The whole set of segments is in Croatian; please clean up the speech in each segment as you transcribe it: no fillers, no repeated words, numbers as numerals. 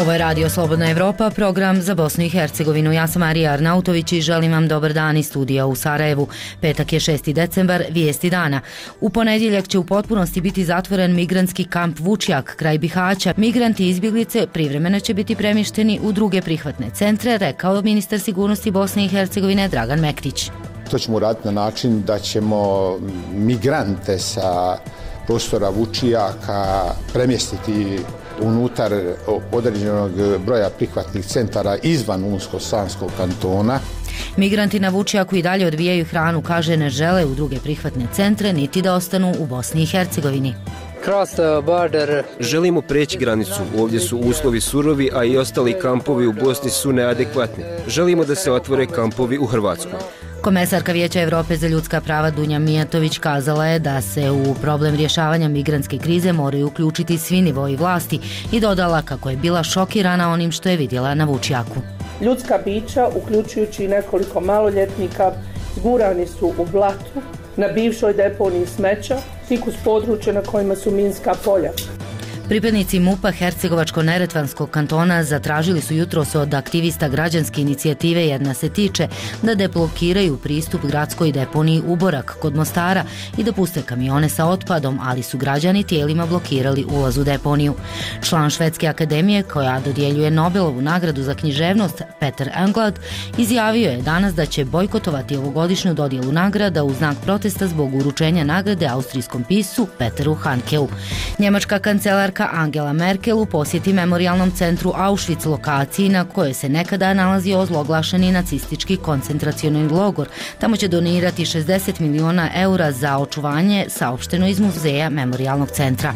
Ovo je Radio Slobodna Evropa, program za Bosnu i Hercegovinu. Ja sam Marija Arnautović i želim vam dobar dan iz studija u Sarajevu. Petak je 6. decembar, vijesti dana. U ponedjeljak će u potpunosti biti zatvoren migrantski kamp Vučjak kraj Bihaća. Migranti i izbjeglice privremeno će biti premješteni u druge prihvatne centre, rekao ministar sigurnosti Bosne i Hercegovine Dragan Mektić. To ćemo uraditi na način da ćemo migrante sa prostora Vučjaka premjestiti unutar određenog broja prihvatnih centara izvan Unsko-Sanskog kantona. Migranti na Vučjaku i dalje odbijaju hranu, kaže ne žele u druge prihvatne centre niti da ostanu u Bosni i Hercegovini. Želimo preći granicu, ovdje su uslovi surovi, a i ostali kampovi u Bosni su neadekvatni. Želimo da se otvore kampovi u Hrvatskoj. Komesarka Vijeća Evrope za ljudska prava Dunja Mijatović kazala je da se u problem rješavanja migrantske krize moraju uključiti svi nivoji vlasti i dodala kako je bila šokirana onim što je vidjela na Vučjaku. Ljudska bića, uključujući i nekoliko maloljetnika, zgurani su u blatu na bivšoj deponiji smeća, tik uz područje na kojima su minska polja. Pripadnici MUP-a Hercegovačko-neretvanskog kantona zatražili su jutros od aktivista građanske inicijative Jedna se tiče da deblokiraju pristup gradskoj deponiji Uborak kod Mostara i da puste kamione sa otpadom, ali su građani tijelima blokirali ulaz u deponiju. Član Švedske akademije koja dodjeljuje Nobelovu nagradu za književnost Peter Englund izjavio je danas da će bojkotovati ovogodišnju dodjelu nagrada u znak protesta zbog uručenja nagrade austrijskom piscu Peteru Handkeu. Njemačka kancelarka Angela Merkel u posjeti memorijalnom centru Auschwitz, lokaciji na kojoj se nekada nalazio ozloglašeni nacistički koncentracioni logor. Tamo će donirati 60 milijuna eura za očuvanje, saopšteno iz muzeja memorijalnog centra.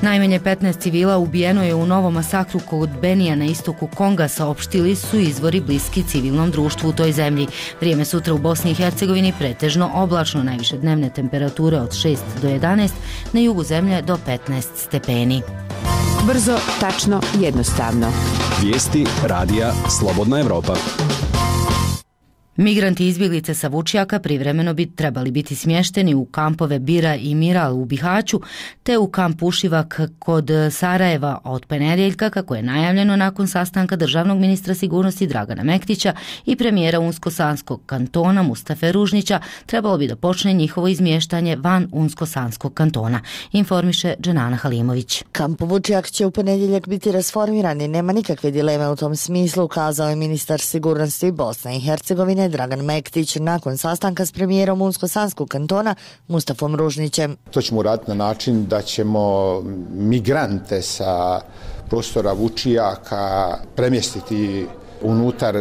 Najmanje 15 civila ubijeno je u novom masakru kod Benija na istoku Konga, saopštili su izvori bliski civilnom društvu u toj zemlji. Vrijeme sutra u Bosni i Hercegovini pretežno oblačno, najviše dnevne temperature od 6 do 11, na jugu zemlje do 15 stepeni. Brzo, tačno, jednostavno. Vijesti radija Slobodna Evropa. Migranti i izbjeglice sa Vučjaka privremeno bi trebali biti smješteni u kampove Bira i Miral u Bihaću, te u kamp Ušivak kod Sarajeva od ponedjeljka, kako je najavljeno nakon sastanka državnog ministra sigurnosti Dragana Mektića i premijera Unsko-Sanskog kantona Mustafe Ružnića. Trebalo bi da počne njihovo izmještanje van Unsko-Sanskog kantona, informiše Dženana Halimović. Kamp Vučjak će u ponedjeljak biti rasformiran i nema nikakve dileme u tom smislu, kazao je ministar sigurnosti Bosne i Hercegovine Dragan Mektić nakon sastanka s premijerom Unsko-Sanskog kantona Mustafom Ružnićem. To ćemo uraditi na način da ćemo migrante sa prostora Vučjaka premjestiti unutar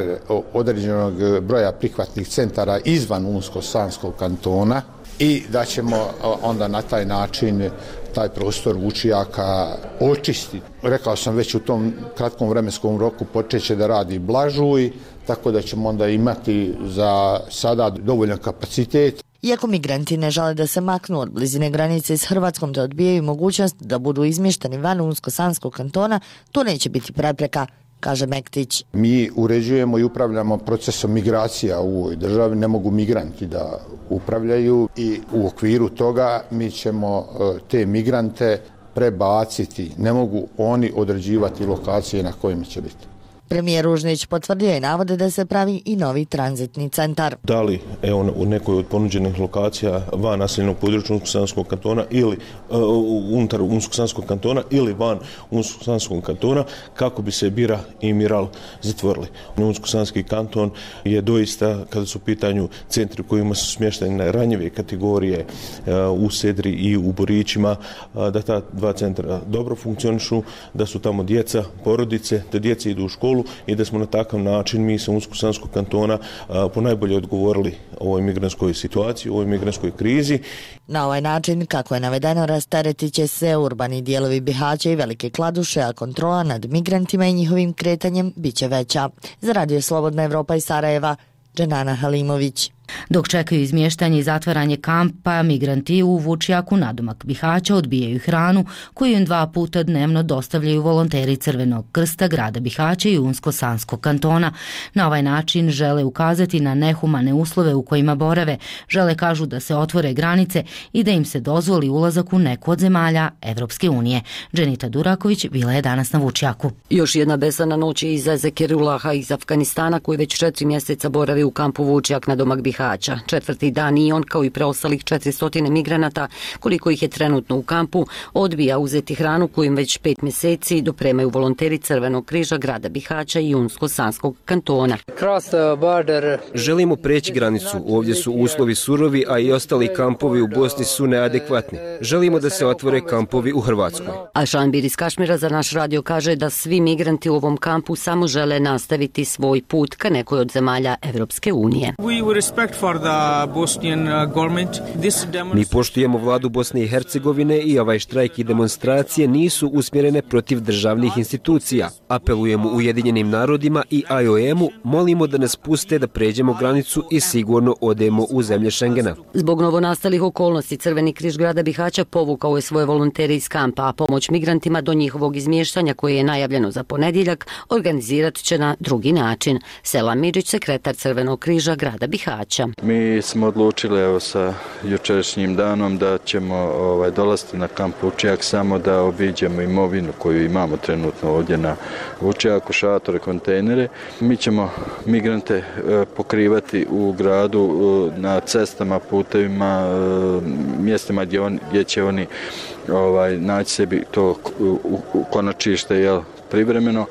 određenog broja prihvatnih centara izvan Unsko-Sanskog kantona i da ćemo onda na taj način taj prostor Vučjaka očistiti. Rekao sam već u tom kratkom vremenskom roku počeće da radi Blažuj, tako da ćemo onda imati za sada dovoljan kapacitet. Iako migranti ne žele da se maknu od blizine granice s Hrvatskom te odbijaju mogućnost da budu izmješteni van Unsko-Sanskog kantona, to neće biti prepreka, kaže Mektić. Mi uređujemo i upravljamo procesom migracija u ovoj državi, ne mogu migranti da upravljaju i u okviru toga mi ćemo te migrante prebaciti, ne mogu oni određivati lokacije na kojima će biti. Premijer Ružnić potvrdio je navode da se pravi i novi tranzitni centar. Da li u nekoj od ponuđenih lokacija van naseljenog područja Unsko-Sanskog kantona ili unutar Unsko-Sanskog kantona ili van Unsko-Sanskog kantona kako bi se Bira i Miral zatvorili. Unsko-Sanski kanton je doista, kada su u pitanju centri u kojima su smještene ranjive kategorije u Sedri i u Borićima, da ta dva centra dobro funkcionišu, da su tamo djeca, porodice, da djeca idu u školu i da smo na takav način mi sa Unsko-Sanskog kantona ponajbolje odgovorili ovoj migrantskoj situaciji, ovoj migrantskoj krizi. Na ovaj način, kako je navedeno, rasteretit će se urbani dijelovi Bihaća i Velike Kladuše, a kontrola nad migrantima i njihovim kretanjem bit će veća. Za Radio Slobodna Evropa iz Sarajeva, Dženana Halimović. Dok čekaju izmještanje i zatvaranje kampa, migranti u Vučjaku nadomak Bihaća odbijaju hranu koju im 2 puta dnevno dostavljaju volonteri Crvenog krsta grada Bihaća i Unsko-Sanskog kantona. Na ovaj način žele ukazati na nehumane uslove u kojima borave, žele kažu da se otvore granice i da im se dozvoli ulazak u neku od zemalja Evropske unije. Dženita Duraković bila je danas na Vučjaku. Još jedna besana noć je iza Zekirulaha iz Afganistana koji već 4 mjeseca boravi u kampu Vučjak na domak Bihaća. 4. dan i on kao i preostalih 400 migranata, koliko ih je trenutno u kampu, odbija uzeti hranu koju im već 5 mjeseci dopremaju volonteri Crvenog križa grada Bihaća i Unsko-Sanskog kantona. Želimo preći granicu, ovdje su uslovi surovi, a i ostali kampovi u Bosni su neadekvatni. Želimo da se otvore kampovi u Hrvatskoj. Ašanbir iz Kašmira za naš radio kaže da svi migranti u ovom kampu samo žele nastaviti svoj put ka nekoj od zemalja Evropske unije. Mi poštujemo vladu Bosne i Hercegovine i ovaj štrajk i demonstracije nisu usmjerene protiv državnih institucija. Apelujemo Ujedinjenim narodima i IOM-u, molimo da nas puste da pređemo granicu i sigurno odemo u zemlje Šengena. Zbog novonastalih okolnosti Crveni križ grada Bihaća povukao je svoje volontere iz kampa, a pomoć migrantima do njihovog izmještanja koje je najavljeno za ponedjeljak organizirat će na drugi način. Selam Midžić, sekretar Crvenog križa grada Bihaća. Mi smo odlučili sa jučerašnjim danom da ćemo dolaziti na kamp Vučjak samo da obiđemo imovinu koju imamo trenutno ovdje na Vučjaku, šatore, kontejnere. Mi ćemo migrante pokrivati u gradu na cestama, putevima, mjestima gdje će oni naći sebi to konačište privremeno,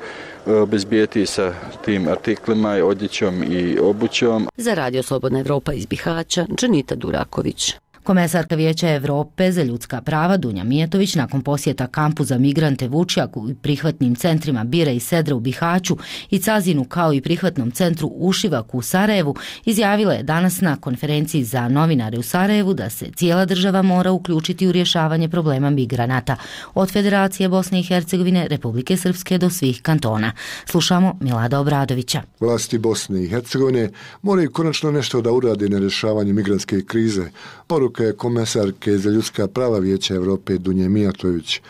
obezbijeti sa tim artiklima, odjećom i obućom. Za Radio Slobodna Evropa iz Bihaća, Dženita Duraković. Komesarka Vijeća Evrope za ljudska prava Dunja Mijetović nakon posjeta kampu za migrante Vučjaku i prihvatnim centrima Bira i Sedra u Bihaću i Cazinu kao i prihvatnom centru Ušivaku u Sarajevu izjavila je danas na konferenciji za novinare u Sarajevu da se cijela država mora uključiti u rješavanje problema migranata od Federacije Bosne i Hercegovine, Republike Srpske do svih kantona. Slušamo Milada Obradovića. Vlasti Bosne i Hercegovine moraju konačno nešto da urade na rješavanju migrantske krize. Poruka je komesarke za ljudska prava Vijeća Evrope Dunje Mijatović.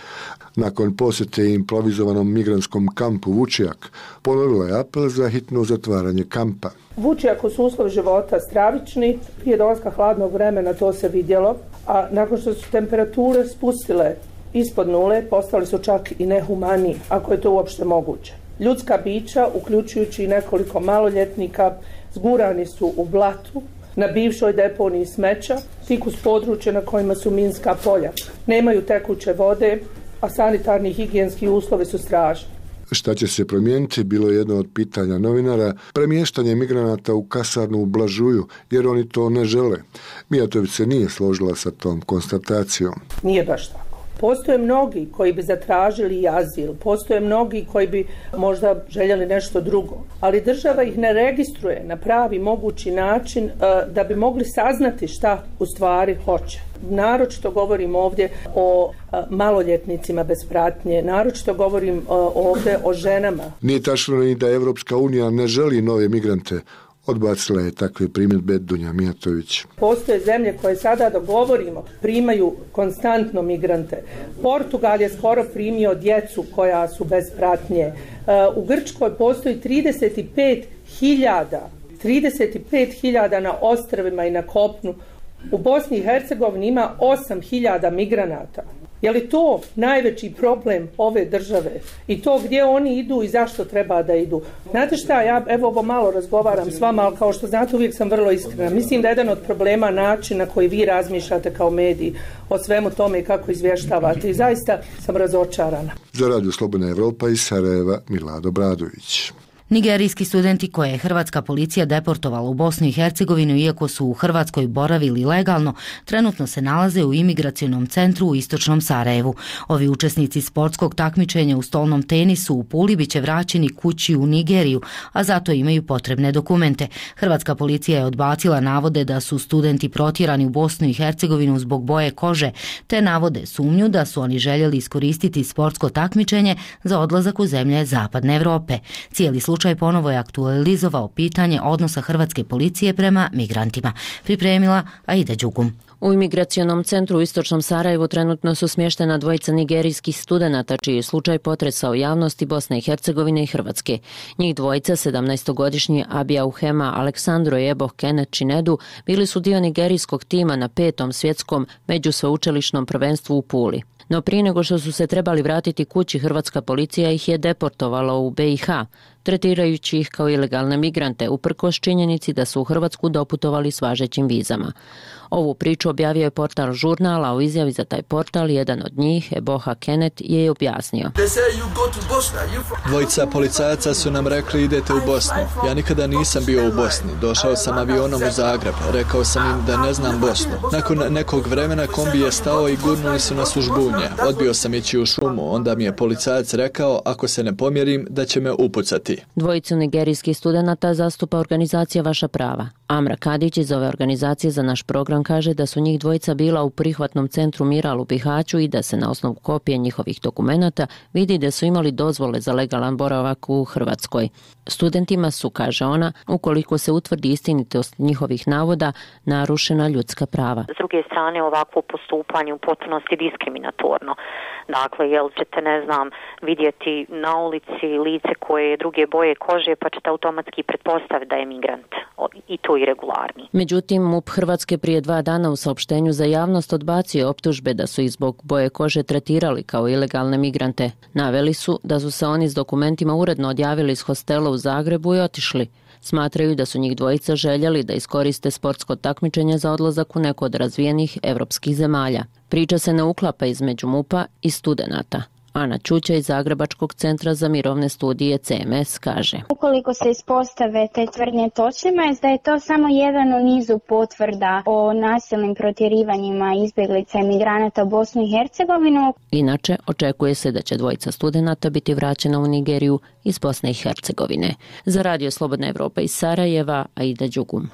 Nakon posjete improvizovanom migrantskom kampu Vučjak, ponovila je apel za hitno zatvaranje kampa. U Vučjaku su uslovi života stravični, prije dolaska hladnog vremena to se vidjelo, a nakon što su temperature spustile ispod nule, postali su čak i nehumani, ako je to uopšte moguće. Ljudska bića, uključujući i nekoliko maloljetnika, zgurani su u blatu, na bivšoj deponiji smeća, tik uz područje na kojima su minska polja. Nemaju tekuće vode, a sanitarni i higijenski uslovi su strašni. Šta će se promijeniti, bilo je jedno od pitanja novinara, premještanje migranata u kasarnu u Blažuju, jer oni to ne žele. Mijatović se nije složila sa tom konstatacijom. Nije baš tako. Postoje mnogi koji bi zatražili azil, postoje mnogi koji bi možda željeli nešto drugo, ali država ih ne registruje na pravi mogući način da bi mogli saznati šta u stvari hoće. Naročito govorim ovdje o maloljetnicima bez pratnje, naročito govorim ovdje o ženama. Nije tačno ni da Evropska unija ne želi nove migrante. Odbacila je takve primjedbe Dunja Mijatović. Postoje zemlje koje sada dogovorimo primaju konstantno migrante. Portugal je skoro primio djecu koja su bez pratnje. U Grčkoj postoji 35.000 na ostrvima i na kopnu. U Bosni i Hercegovini ima 8.000 migranata. Je li to najveći problem ove države? I to gdje oni idu i zašto treba da idu? Znate šta, ja ovo malo razgovaram s vama, ali kao što znate uvijek sam vrlo iskrena. Mislim da je jedan od problema način na koji vi razmišljate kao mediji o svemu tome i kako izvještavate. I zaista sam razočarana. Za Radio Slobodna Evropa iz Sarajeva, Milado Obradović. Nigerijski studenti koje je hrvatska policija deportovala u Bosnu i Hercegovinu iako su u Hrvatskoj boravili legalno, trenutno se nalaze u imigracionom centru u istočnom Sarajevu. Ovi učesnici sportskog takmičenja u stolnom tenisu u Puli biće vraćeni kući u Nigeriju, a zato imaju potrebne dokumente. Hrvatska policija je odbacila navode da su studenti protjerani u Bosnu i Hercegovinu zbog boje kože, te navode sumnju da su oni željeli iskoristiti sportsko takmičenje za odlazak u zemlje Zapadne Evrope. Cijeli slučaj slučaj ponovo je aktualizovao pitanje odnosa hrvatske policije prema migrantima. Pripremila Aida Đugum. U imigracionom centru u istočnom Sarajevu trenutno su smještena dvojica nigerijskih studenata čiji je slučaj potresao javnosti Bosne i Hercegovine i Hrvatske. Njih dvojica, 17-godišnji Abija Uhema Aleksandro i Eboh Kenneth Chinedu, bili su dio nigerijskog tima na 5. svjetskom međusveučilišnom prvenstvu u Puli. No prije nego što su se trebali vratiti kući, hrvatska policija ih je deportovala u BiH, tretirajući ih kao ilegalne migrante, uprkos činjenici da su u Hrvatsku doputovali s važećim vizama. Ovu priču objavio je portal Žurnal, a u izjavi za taj portal jedan od njih, Eboha Kenneth, je objasnio. Dvojica policajaca su nam rekli idete u Bosnu. Ja nikada nisam bio u Bosni. Došao sam avionom u Zagreb. Rekao sam im da ne znam Bosnu. Nakon nekog vremena kombi je stao i gurnuli su nas u žbunje. Odbio sam ići u šumu. Onda mi je policajac rekao ako se ne pomjerim da će me upucati. Dvojicu nigerijskih studenata zastupa organizacija Vaša prava. Amra Kadić iz ove organizacije za naš program kaže da su njih dvojica bila u prihvatnom centru Miral u Bihaću i da se na osnovu kopije njihovih dokumenata vidi da su imali dozvole za legalan boravak u Hrvatskoj. Studentima su, kaže ona, ukoliko se utvrdi istinitost njihovih navoda, narušena ljudska prava. S druge strane, ovakvo postupanje u potpunosti diskriminatorno. Dakle, jel ćete, ne znam, vidjeti na ulici lice koje je druge boje kože, pa ćete automatski pretpostaviti da je migrant i to irregularni. Međutim, MUP Hrvatske prije 2 dana u saopštenju za javnost odbacio optužbe da su ih zbog boje kože tretirali kao ilegalne migrante. Naveli su da su se oni s dokumentima uredno odjavili iz hostela u Zagrebu i otišli. Smatraju da su njih dvojica željeli da iskoriste sportsko takmičenje za odlazak u neko od razvijenih evropskih zemalja. Priča se ne uklapa između MUP-a i studenata. Ana Čuća iz Zagrebačkog centra za mirovne studije CMS kaže. Ukoliko se ispostave te tvrdnje točnima, je da je to samo jedan u nizu potvrda o nasilnim protjerivanjima izbjeglica i migranata u Bosnu i Hercegovinu. Inače, očekuje se da će dvojica studenata biti vraćena u Nigeriju iz Bosne i Hercegovine. Za Radio Slobodna Evropa iz Sarajeva, Aida Đugum.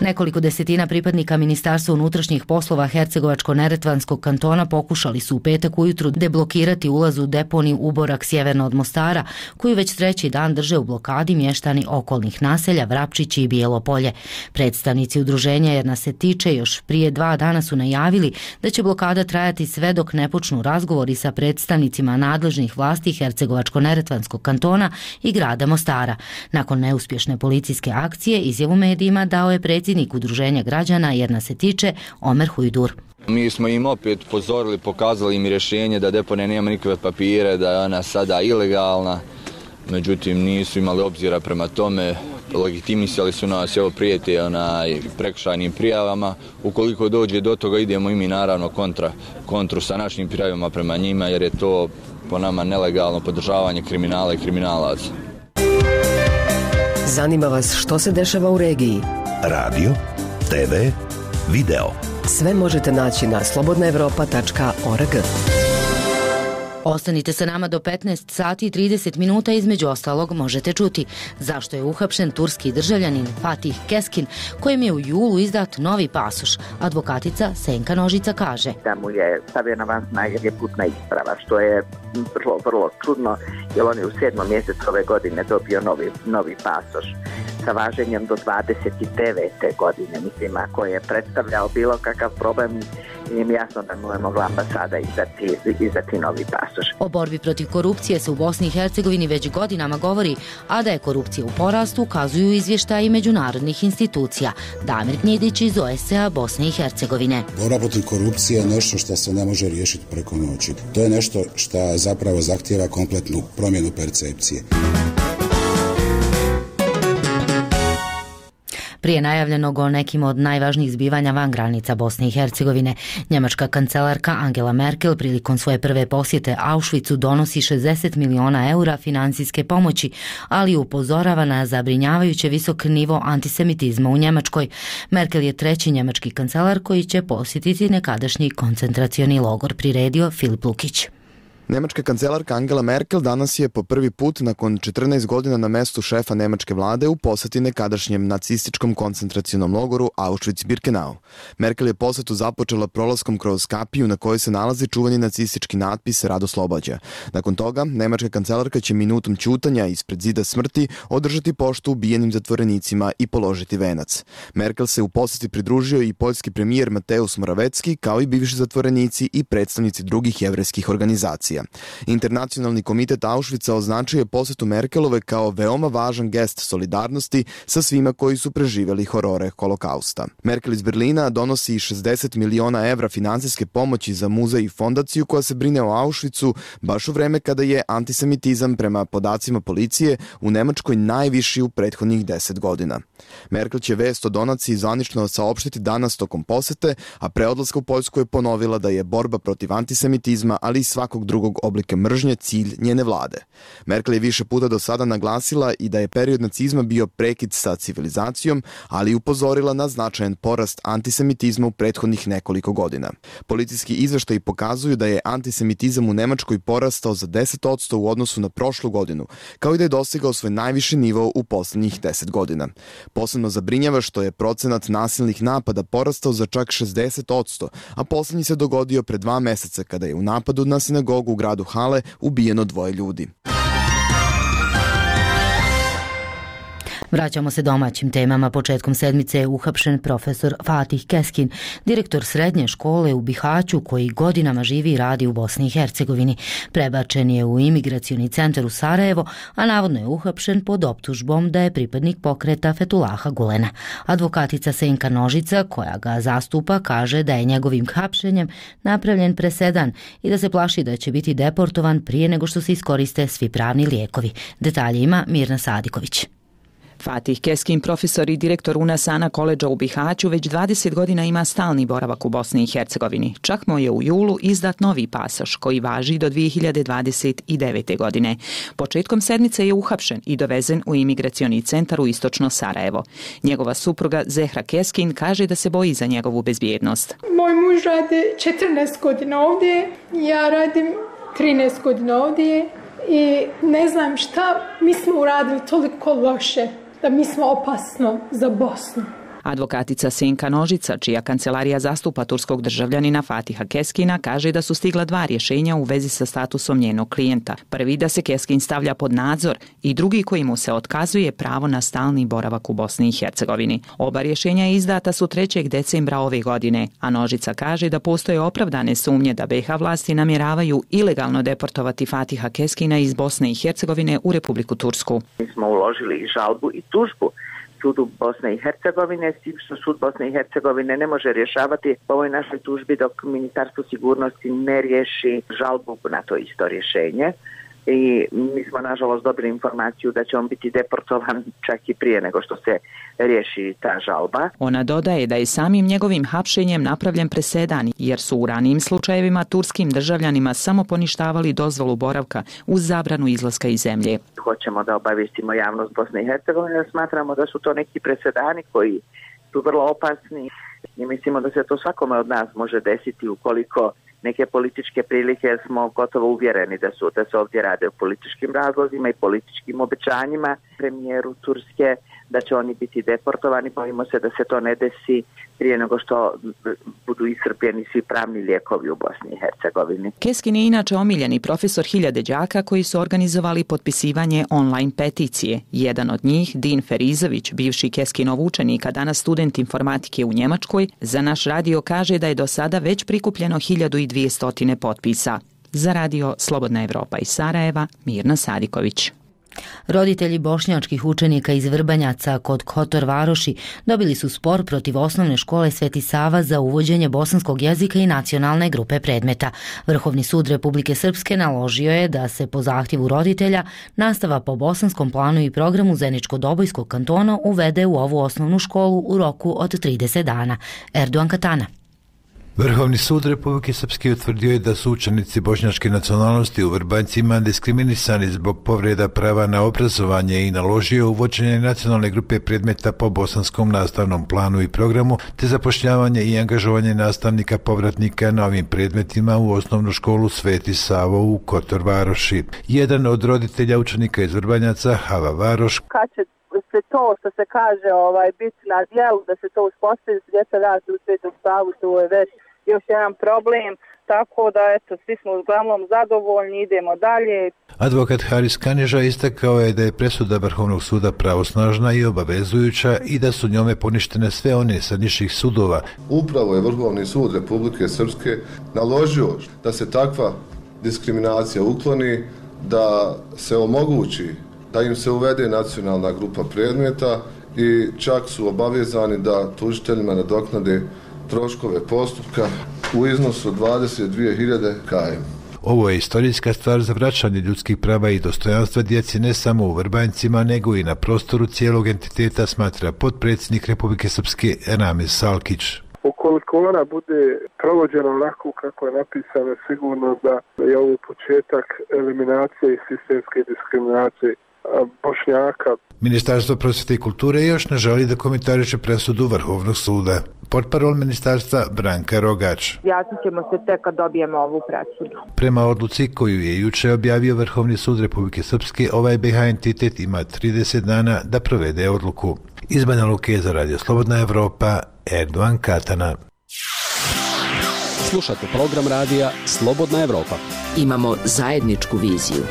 Nekoliko desetina pripadnika Ministarstva unutrašnjih poslova Hercegovačko-neretvanskog kantona pokušali su u petak ujutru deblokirati ulaz u deponiju Uborak sjeverno od Mostara, koju već 3. dan drže u blokadi mještani okolnih naselja Vrapčići i Bijelo Polje. Predstavnici udruženja Jer nas se tiče još prije 2 dana su najavili da će blokada trajati sve dok ne počnu razgovori sa predstavnicima nadležnih vlasti Hercegovačko-neretvanskog kantona i grada Mostara. Nakon neuspješne policijske akcije, izjavu medijima dao je predsjednik udruženja građana Jer nas se tiče Omer Hujdur. Mi smo im opet upozorili, pokazali im rješenje da deponija nema nikakve papire, da je ona sada ilegalna, međutim nisu imali obzira prema tome, legitimisali su nas, evo prijete prekršajnim prijavama. Ukoliko dođe do toga idemo i mi naravno kontru sa našim prijavama prema njima, jer je to po nama nelegalno podržavanje kriminala i kriminalaca. Zanima vas što se dešava u regiji? Radio, TV, video. Sve možete naći na slobodnaevropa.org. Ostanite sa nama do 15 sati i 30 minuta, između ostalog možete čuti zašto je uhapšen turski državljanin Fatih Keskin, kojem je u julu izdat novi pasoš. Advokatica Senka Nožica kaže da mu je stavljena van snage putna isprava, što je vrlo čudno, jer on je u 7. mjesecu ove godine dobio novi pasoš sa važenjem do 29. godine. Mislim, ako je predstavljao bilo kakav problem, nije mi jasno da mu je mogla ambasada izdati novi pasoš. O borbi protiv korupcije se u Bosni i Hercegovini već godinama govori, a da je korupcija u porastu ukazuju izvještaji međunarodnih institucija. Damir Gnjedić iz OSCE Bosne i Hercegovine. Borba protiv korupcije je nešto što se ne može riješiti preko noći. To je nešto što zapravo zahtijeva kompletnu promjenu percepcije. Prije najavljenog o nekim od najvažnijih zbivanja van granica Bosne i Hercegovine, njemačka kancelarka Angela Merkel prilikom svoje prve posjete Auschwitzu donosi 60 miliona eura financijske pomoći, ali upozorava na zabrinjavajuće visok nivo antisemitizma u Njemačkoj. Merkel je 3. njemački kancelar koji će posjetiti nekadašnji koncentracioni logor, priredio Filip Lukić. Nemačka kancelarka Angela Merkel danas je po prvi put nakon 14 godina na mestu šefa nemačke vlade u poseti nekadašnjem nacističkom koncentracionom logoru Auschwitz-Birkenau. Merkel je posetu započela prolaskom kroz kapiju na kojoj se nalazi čuveni nacistički natpis Rad oslobađa. Nakon toga, nemačka kancelarka će minutom ćutanja ispred zida smrti održati poštu ubijenim zatvorenicima i položiti venac. Merkel se u poseti pridružio i poljski premijer Mateusz Morawiecki, kao i bivši zatvorenici i predstavnici drugih jevrejskih organizacija. Internacionalni komitet Auschwitza označio je posetu Merkelove kao veoma važan gest solidarnosti sa svima koji su preživjeli horore holokausta. Merkel iz Berlina donosi 60 miliona evra finansijske pomoći za muzej i fondaciju koja se brine o Auschwitzu baš u vreme kada je antisemitizam prema podacima policije u Nemačkoj najviši u prethodnih 10 godina. Merkel će vest o donaciji zvanično saopštiti danas tokom posete, a pre odlaska u Poljsku je ponovila da je borba protiv antisemitizma, ali i svakog drugog oblika mržnje cilj njene vlade. Merkel je više puta do sada naglasila i da je period nacizma bio prekid sa civilizacijom, ali i upozorila na značajan porast antisemitizma u prethodnih nekoliko godina. Policijski izveštaji pokazuju da je antisemitizam u Nemačkoj porastao za 10% u odnosu na prošlu godinu, kao i da je dostigao svoj najviši nivo u posljednjih 10 godina. Posebno zabrinjava što je procenat nasilnih napada porastao za čak 60%, a posljednji se dogodio pre 2 meseca kada je u napadu na sinagogu u gradu Hale ubijeno 2 ljudi. Vraćamo se domaćim temama. Početkom sedmice je uhapšen profesor Fatih Keskin, direktor srednje škole u Bihaću koji godinama živi i radi u Bosni i Hercegovini. Prebačen je u imigracioni centar u Sarajevo, a navodno je uhapšen pod optužbom da je pripadnik pokreta Fetulaha Gulena. Advokatica Senka Nožica, koja ga zastupa, kaže da je njegovim hapšenjem napravljen presedan i da se plaši da će biti deportovan prije nego što se iskoriste svi pravni lijekovi. Detalje ima Mirna Sadiković. Fatih Keskin, profesor i direktor UNASANA koledža u Bihaću, već 20 godina ima stalni boravak u Bosni i Hercegovini. Čak mu je u julu izdat novi pasoš koji važi do 2029. godine. Početkom sedmice je uhapšen i dovezen u imigracioni centar u istočno Sarajevo. Njegova supruga Zehra Keskin kaže da se boji za njegovu bezbjednost. Moj muž radi 14 godina ovdje, ja radim 13 godina ovdje i ne znam šta mi smo uradili toliko loše da mi smo opasno za Bosnu. Advokatica Senka Nožica, čija kancelarija zastupa turskog državljanina Fatiha Keskina, kaže da su stigla 2 rješenja u vezi sa statusom njenog klijenta. Prvi da se Keskin stavlja pod nadzor i drugi koji mu se otkazuje pravo na stalni boravak u Bosni i Hercegovini. Oba rješenja izdata su 3. decembra ove godine, a Nožica kaže da postoje opravdane sumnje da BiH vlasti namjeravaju ilegalno deportovati Fatiha Keskina iz Bosne i Hercegovine u Republiku Tursku. Mi smo uložili i žalbu i tužbu sudu Bosne i Hercegovine, s tim što sud Bosne i Hercegovine ne može rješavati po ovoj našoj tužbi dok Ministarstvo sigurnosti ne riješi žalbu na to isto rješenje. I mi smo nažalost dobili informaciju da će on biti deportovan čak i prije nego što se riješi ta žalba. Ona dodaje da je samim njegovim hapšenjem napravljen presedan jer su u ranijim slučajevima turskim državljanima samo poništavali dozvolu boravka uz zabranu izlaska iz zemlje. Hoćemo da obavijestimo javnost Bosne i Hercegovine, smatramo da su to neki presedani koji su vrlo opasni i mislimo da se to svakome od nas može desiti ukoliko neke političke prilike, jer smo gotovo uvjereni da se ovdje rade o političkim razlozima i političkim obećanjima premijeru Turske da će oni biti deportovani. Bojimo se da se to ne desi prije nego što budu iscrpljeni svi pravni lijekovi u Bosni i Hercegovini. Keskin je inače omiljeni profesor hiljade đaka koji su organizovali potpisivanje online peticije. Jedan od njih, Din Ferizović, bivši Keskinov učenik, a danas student informatike u Njemačkoj, za naš radio kaže da je do sada već prikupljeno 1200 potpisa. Za radio Slobodna Evropa iz Sarajeva, Mirna Sadiković. Roditelji bošnjačkih učenika iz Vrbanjaca kod Kotor Varoši dobili su spor protiv osnovne škole Sveti Sava za uvođenje bosanskog jezika i nacionalne grupe predmeta. Vrhovni sud Republike Srpske naložio je da se po zahtjevu roditelja nastava po bosanskom planu i programu Zeničko-Dobojskog kantona uvede u ovu osnovnu školu u roku od 30 dana. Erdogan Katana. Vrhovni sud Republike Srpske utvrdio je da su učenici bošnjačke nacionalnosti u Vrbanjcima diskriminisani zbog povreda prava na obrazovanje i naložio uvođenje nacionalne grupe predmeta po bosanskom nastavnom planu i programu, te zapošljavanje i angažovanje nastavnika povratnika na ovim predmetima u osnovnu školu Sveti Savo u Kotor Varoši. Jedan od roditelja učenika iz Vrbanjaca, Hava Varoš, kad će se to što se kaže biti na djelu, da se to uspostavi, djeca radi u Svetom Savu, to je već još jedan problem, tako da svi smo uglavnom zadovoljni, idemo dalje. Advokat Haris Kanježa istakao je da je presuda Vrhovnog suda pravosnažna i obavezujuća i da su njome poništene sve one sa nižih sudova. Upravo je Vrhovni sud Republike Srpske naložio da se takva diskriminacija ukloni, da se omogući da im se uvede nacionalna grupa predmeta i čak su obavezani da tužiteljima nadoknade troškove postupka u iznosu od 22.000 km. Ovo je istorijska stvar za vraćanje ljudskih prava i dostojanstva djeci ne samo u Vrbanjcima, nego i na prostoru cijelog entiteta, smatra potpredsjednik Republike Srpske Ramiz Salkić. Ukoliko ona bude provođena onako kako je napisano, sigurno da je ovo početak eliminacije i sistemske diskriminacije Bošnjaka. Ministarstvo prosvjete i kulture još ne želi da komentariše presudu Vrhovnog suda. Portparol ministarstva Branka Rogač. Jasnit ćemo se tek kad dobijemo ovu presudu. Prema odluci koju je juče objavio Vrhovni sud Republike Srpske, ovaj BiH entitet ima 30 dana da provede odluku. Iz Banja Luke za Radio Slobodna Evropa, Erdovan Katana. Slušate program radija Slobodna Evropa. Imamo zajedničku viziju.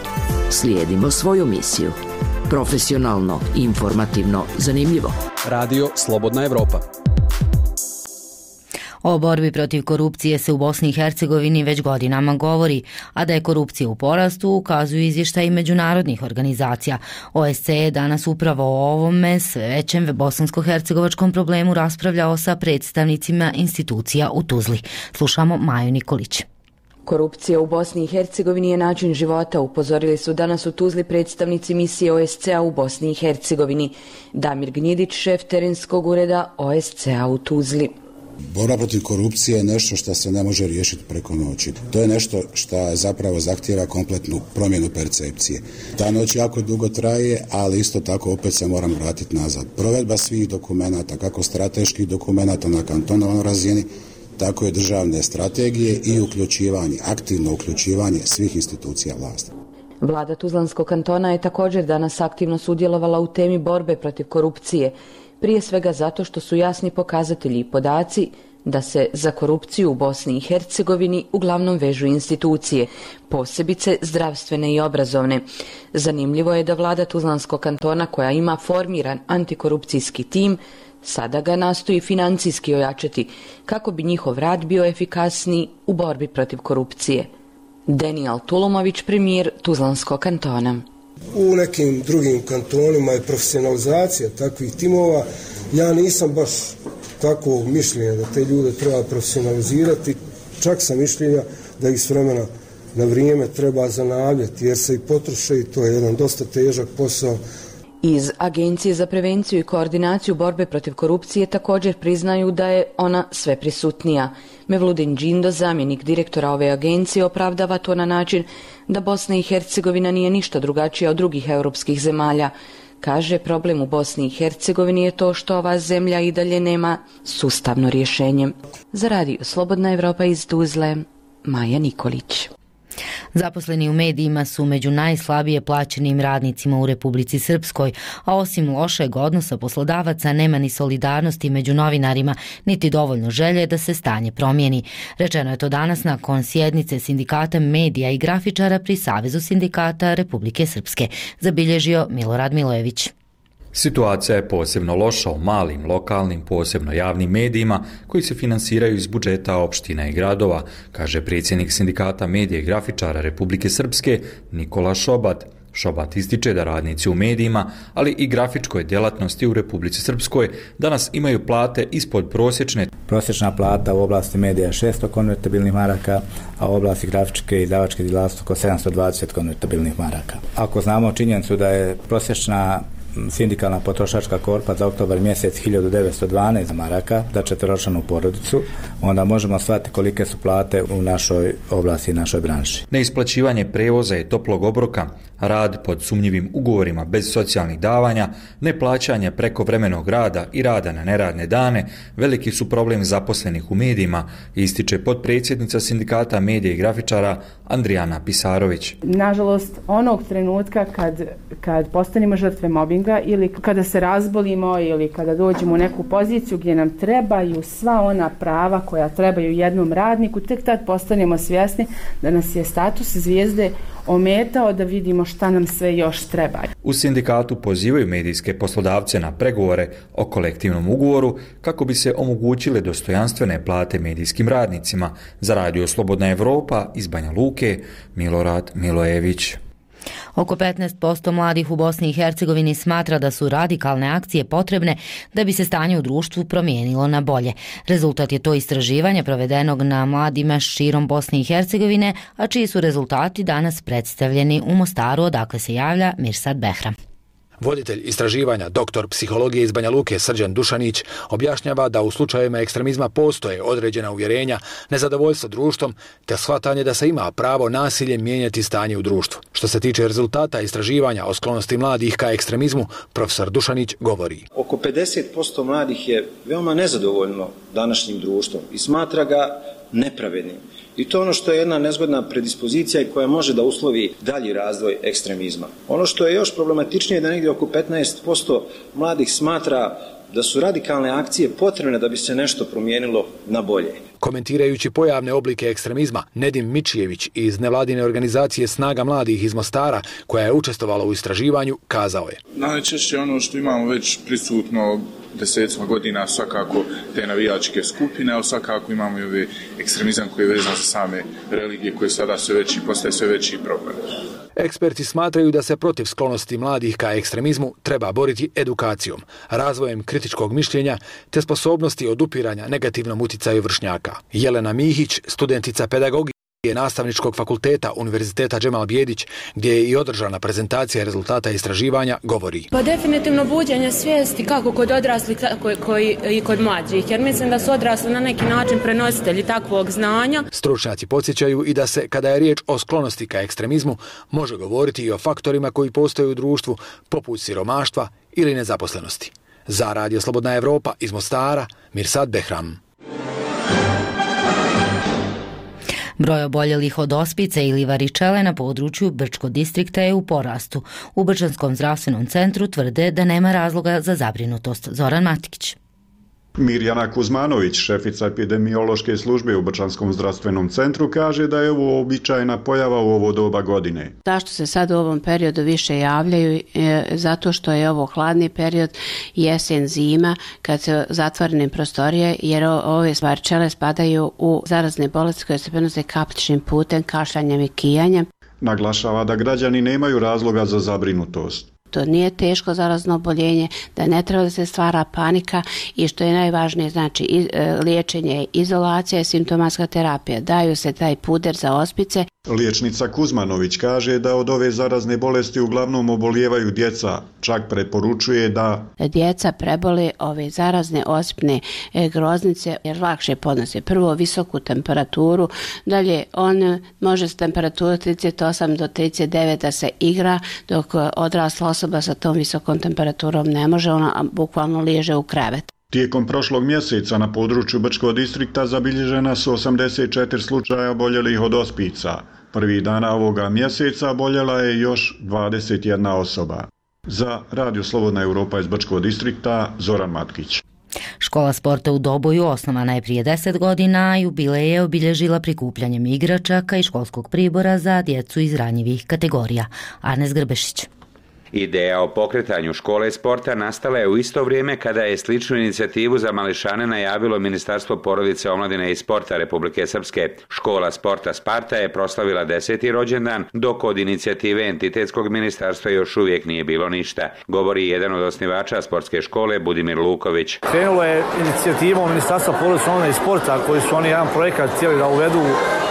Slijedimo svoju misiju. Profesionalno, informativno, zanimljivo. Radio Slobodna Evropa. O borbi protiv korupcije se u Bosni i Hercegovini već godinama govori, a da je korupcija u porastu ukazuju izvještaji međunarodnih organizacija. OSCE je danas upravo o ovome sve većem bosansko-hercegovačkom problemu raspravljao sa predstavnicima institucija u Tuzli. Slušamo Maju Nikolić. Korupcija u Bosni i Hercegovini je način života, upozorili su danas u Tuzli predstavnici misije OSCE-a u Bosni i Hercegovini. Damir Gnjidić, šef terenskog ureda OSCE-a u Tuzli. Borba protiv korupcije je nešto što se ne može riješiti preko noći. To je nešto što zapravo zahtijeva kompletnu promjenu percepcije. Ta noć jako dugo traje, ali isto tako opet se moram vratiti nazad. Provedba svih dokumenata, kako strateških dokumenata na kantonalnoj razini, tako i državne strategije i uključivanje, aktivno uključivanje svih institucija vlasti. Vlada Tuzlanskog kantona je također danas aktivno sudjelovala u temi borbe protiv korupcije, prije svega zato što su jasni pokazatelji i podaci da se za korupciju u Bosni i Hercegovini uglavnom vežu institucije, posebice zdravstvene i obrazovne. Zanimljivo je da vlada Tuzlanskog kantona, koja ima formiran antikorupcijski tim, sada ga nastoji financijski ojačati kako bi njihov rad bio efikasniji u borbi protiv korupcije. Daniel Tulumović, premijer Tuzlanskog kantona. U nekim drugim kantonima je profesionalizacija takvih timova. Ja nisam baš tako mišljenja da te ljude treba profesionalizirati. Čak sam mišljenja da ih s vremena na vrijeme treba zanavljati jer se i potroše i to je jedan dosta težak posao. Iz Agencije za prevenciju i koordinaciju borbe protiv korupcije također priznaju da je ona sve prisutnija. Mevludin Džindo, zamjenik direktora ove agencije, opravdava to na način da Bosna i Hercegovina nije ništa drugačija od drugih europskih zemalja. Kaže, problem u Bosni i Hercegovini je to što ova zemlja i dalje nema sustavno rješenje. Za Radio Slobodna Evropa iz Tuzle, Maja Nikolić. Zaposleni u medijima su među najslabije plaćenim radnicima u Republici Srpskoj, a osim lošeg odnosa poslodavaca nema ni solidarnosti među novinarima, niti dovoljno želje da se stanje promijeni. Rečeno je to danas nakon sjednice Sindikata medija i grafičara pri Savezu sindikata Republike Srpske, zabilježio Milorad Milojević. Situacija je posebno loša u malim, lokalnim, posebno javnim medijima koji se finansiraju iz budžeta opština i gradova, kaže predsjednik Sindikata medija i grafičara Republike Srpske Nikola Šobat. Šobat ističe da radnici u medijima, ali i grafičkoj djelatnosti u Republici Srpskoj danas imaju plate ispod prosječne. Prosječna plata u oblasti medija je 600 konvertibilnih maraka, a u oblasti grafičke i izdavačke djelatnosti oko 720 konvertibilnih maraka. Ako znamo činjenicu da je prosječna sindikalna potrošačka korpa za oktobar mjesec 1912 maraka za četveročlanu porodicu, onda možemo shvatiti kolike su plate u našoj oblasti i našoj branši. Neisplaćivanje prevoza i toplog obroka, rad pod sumnjivim ugovorima bez socijalnih davanja, neplaćanje prekovremenog rada i rada na neradne dane veliki su problem zaposlenih u medijima, ističe potpredsjednica Sindikata medija i grafičara Andrijana Pisarović. Nažalost, onog trenutka kad postanemo žrtve mobinga ili kada se razbolimo ili kada dođemo u neku poziciju gdje nam trebaju sva ona prava koja trebaju jednom radniku, tek tad postanemo svjesni da nas je status zvijezde ometao da vidimo šta nam sve još treba. U sindikatu pozivaju medijske poslodavce na pregovore o kolektivnom ugovoru kako bi se omogućile dostojanstvene plate medijskim radnicima. Za Radio Slobodna Evropa iz Banja Luke, Milorad Milojević. Oko 15% mladih u Bosni i Hercegovini smatra da su radikalne akcije potrebne da bi se stanje u društvu promijenilo na bolje. Rezultat je to istraživanja provedenog na mladima širom Bosne i Hercegovine, a čiji su rezultati danas predstavljeni u Mostaru, odakle se javlja Mirsad Behram. Voditelj istraživanja, doktor psihologije iz Banja Luke Srđan Dušanić, objašnjava da u slučajevima ekstremizma postoje određena uvjerenja, nezadovoljstvo društvom te shvatanje da se ima pravo nasiljem mijenjati stanje u društvu. Što se tiče rezultata istraživanja o sklonosti mladih ka ekstremizmu, profesor Dušanić govori. Oko 50% mladih je veoma nezadovoljno današnjim društvom i smatra ga nepravednim. I to je ono što je jedna nezgodna predispozicija i koja može da uslovi dalji razvoj ekstremizma. Ono što je još problematičnije je da negdje oko 15% mladih smatra da su radikalne akcije potrebne da bi se nešto promijenilo na bolje. Komentirajući pojavne oblike ekstremizma, Nedim Mičijević iz nevladine organizacije Snaga mladih iz Mostara, koja je učestvovala u istraživanju, kazao je. Najčešće ono što imamo već prisutno desetima godina, svakako te navijačke skupine, ali svakako imamo i ovaj ekstremizam koji je vezan za same religije, koje sada postaje sve veći problem. Eksperti smatraju da se protiv sklonosti mladih ka ekstremizmu treba boriti edukacijom, razvojem kritičkog mišljenja te sposobnosti odupiranja negativnom uticaju vršnjaka. Jelena Mihić, studentica pedagogije Nastavničkog fakulteta Univerziteta Džemal Bijedić, gdje je i održana prezentacija rezultata istraživanja, govori. Pa definitivno buđenje svijesti kako kod odraslih, tako i kod mlađih, jer mislim da su odrasli na neki način prenositelji takvog znanja. Stručnjaci podsjećaju i da se, kada je riječ o sklonosti ka ekstremizmu, može govoriti i o faktorima koji postoje u društvu, poput siromaštva ili nezaposlenosti. Za Radio Slobodna Evropa iz Mostara, Mirsad Behram. Broj oboljelih od ospice ili varičele na području Brčkog distrikta je u porastu. U Brčanskom zdravstvenom centru tvrde da nema razloga za zabrinutost. Zoran Matikić. Mirjana Kuzmanović, šefica epidemiološke službe u Brčanskom zdravstvenom centru, kaže da je ovo običajna pojava u ovo doba godine. Zašto se sad u ovom periodu više javljaju? Zato što je ovo hladni period, jesen, zima, kad se zatvorene prostorije, jer ove varičele spadaju u zarazne bolesti koje se prenose kapljičnim putem, kašljanjem i kijanjem. Naglašava da građani nemaju razloga za zabrinutost. To nije teško zarazno oboljenje, da ne treba da se stvara panika i što je najvažnije, znači liječenje, izolacija i simptomatska terapija. Daju se taj puder za ospice. Liječnica Kuzmanović kaže da od ove zarazne bolesti uglavnom obolijevaju djeca, čak preporučuje da djeca prebole ove zarazne osipne groznice jer lakše podnose prvo visoku temperaturu, dalje on može s temperaturom 38 do 39 da se igra, dok odrasla osoba sa tom visokom temperaturom ne može, ona bukvalno liježe u krevet. Tijekom prošlog mjeseca na području Brčkog distrikta zabilježena su 84 slučaja oboljelih od ospica. Prvih dana ovoga mjeseca oboljela je još 21 osoba. Za Radio Slobodna Evropa iz Brčkog distrikta, Zoran Matkić. Škola sporta u Doboju osnovana je prije 10 godina, a jubilej je obilježila prikupljanjem igračaka i školskog pribora za djecu iz ranjivih kategorija. Arnes Grbešić. Ideja o pokretanju škole sporta nastala je u isto vrijeme kada je sličnu inicijativu za mališane najavilo Ministarstvo porodice, omladine i sporta Republike Srpske. Škola sporta Sparta je proslavila 10. rođendan, dok od inicijative entitetskog ministarstva još uvijek nije bilo ništa, govori jedan od osnivača sportske škole Budimir Luković. Krenulo je inicijativom Ministarstva porodice, omladine i sporta, koji su oni jedan projekat cijeli da uvedu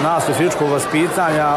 nastavu fizičkog vaspitanja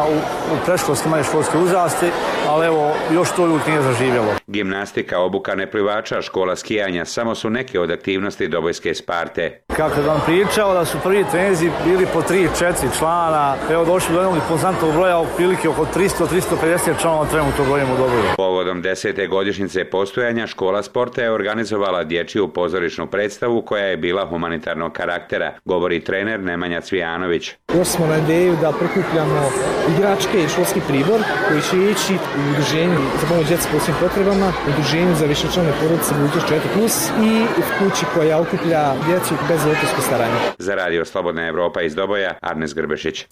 u predškolskim i školskim uzrasti, ali evo, još to uvijek nije zaživjelo. Gimnastika, obuka neplivača, škola skijanja samo su neke od aktivnosti Dobojske Sparte. Kako vam pričao da su prvi treninzi bili po 3-4 člana, evo došli do jednog impozantnog broja, otprilike oko 300-350 članova trenutno brojimo u Doboju. Povodom 10. godišnjice postojanja, škola sporta je organizovala dječju pozorišnu predstavu koja je bila humanitarnog karaktera, govori trener Nemanja Cvijanović. Došli smo na ideju da prikupljamo igračke i školski pribor koji će ići u udruženju za pomoć djeci s posebnim potrebama, udruženju za višečlane porodice budućnost 4+, i u kući koja okuplja djecu bez roditeljskog staranja. Za Radio Slobodna Evropa iz Doboja, Arnes Grbešić.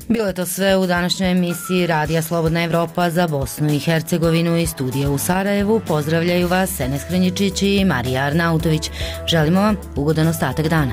Bilo je to sve u današnjoj emisiji Radija Slobodna Evropa za Bosnu i Hercegovinu i studija u Sarajevu. Pozdravljaju vas Enes Hranjičić i Marija Arnautović. Želimo vam ugodan ostatak dana.